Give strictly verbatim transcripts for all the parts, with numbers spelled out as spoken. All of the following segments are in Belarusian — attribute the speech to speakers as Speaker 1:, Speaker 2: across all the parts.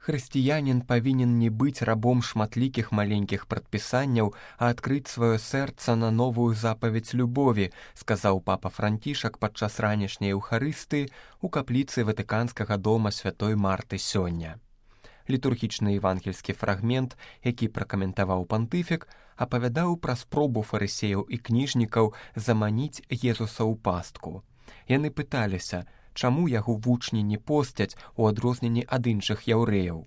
Speaker 1: Хрысціянін павінен не быць рабом шматлікіх маленькіх прадпісанняў, а адкрыць сваё сэрца на новую запаведь любові, сказаў папа Францішак падчас ранішняй эўхарыстыі ў капліцы Ватыканскага дома святой Марты сёння. Літургічны евангельскі фрагмент, які пракаментаваў пантыфік, апавядаў пра спробу фарысеяў і кніжнікаў заманіць Езуса ў пастку. Яны пыталіся, чаму яго вучні не посцяць у адрозненні ад іншых яўрэяў.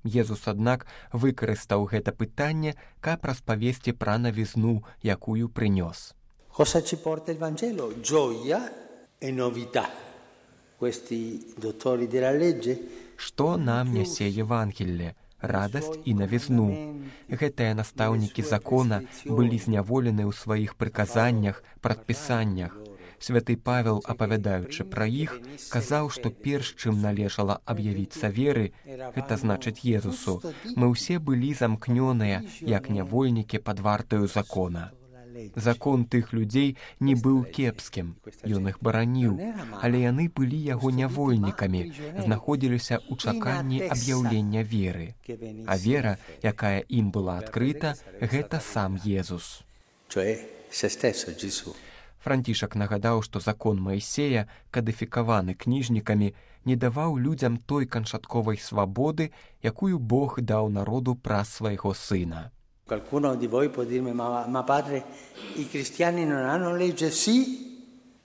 Speaker 1: Езус, аднак, выкарыстаў гэта пытанне, каб распавесці пра навізну, якую прынёс.
Speaker 2: Cosa ci porta il Vangelo? Gioia e novità. Questi dottori della legge.
Speaker 1: Што нам нясе Евангелле? Радасць і навізну. Гэтыя настаўнікі закона былі зняволены ў сваіх прыказаннях, прадпісаннях. Святы Павел, апавядаючы пра іх, казаў, што перш чым належала аб'явіцца веры, гэта значыць Езусу, мы ўсе былі замкнёныя, як нявольнікі пад вартаю закона. Закон тых людзей не быў кепскім, ён іх бараніў, але яны былі яго нявольнікамі, знаходзіліся ў чаканні аб'яўлення веры. А вера, якая ім была адкрыта, гэта сам Езус. Францішак нагадаў, што закон Маісея, кадыфікаваны кніжнікамі, не даваў людзям той канчатковай свабоды, якую Бог даў народу праз свайго сына.
Speaker 2: Qualcuno di voi può dirmi, ma, ma padre, i cristiani non hanno legge? Sì,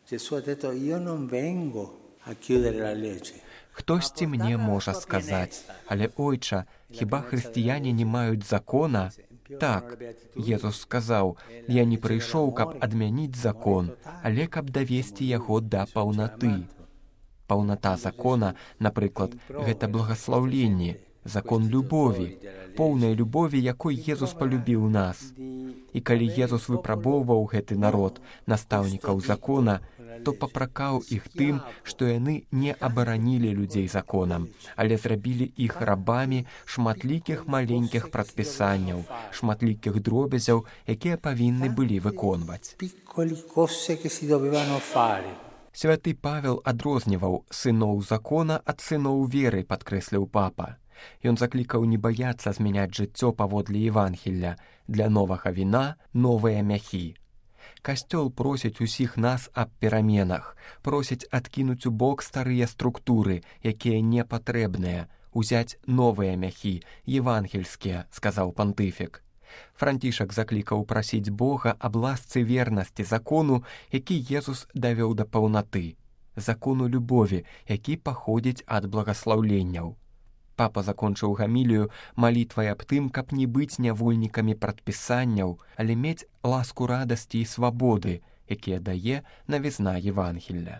Speaker 2: Gesù ha detto, io non vengo a chiudere la legge.
Speaker 1: Хтосьці мне можа сказаць, але, ойча, хіба хрысціяне не маюць закона? Так, Езус сказаў, я не прыйшоў, каб адмяніць закон, але каб давесці яго да паўнаты. Паўната закона, напрыклад, гэта благаслаўленне, закон любові, поўнай любові, якой Езус палюбіў нас. І калі Езус выпрабоўваў гэты народ, настаўнікаў закона, то папракаў іх тым, што яны не абаранілі людзей законам, але зрабілі іх рабамі шматлікіх маленькіх прадпісанняў, шматлікіх дробязяў, якія павінны былі выконваць. Святы Павел адрозніваў сыноў закона ад сыноў веры, падкрэсліў папа. Ён заклікаў не баяцца змяняць жыццё паводле Евангелля, для новага віна новыя мяхі. Касцёл просіць усіх нас аб пераменах, просіць адкінуць у бок старыя структуры, якія не патрэбныя, узяць новыя мяхі, евангельскія, сказаў пантыфік. Францішак заклікаў прасіць Бога аб ласцы вернасці закону, які Езус давёў да паўнаты, закону любові, які паходзіць ад благаслаўленняў. Папа закончыў гамілію малітвай аб тым, каб не быць нявольнікамі прадпісанняў, але мець ласку радасці і свабоды, якія дае навізна Евангелля.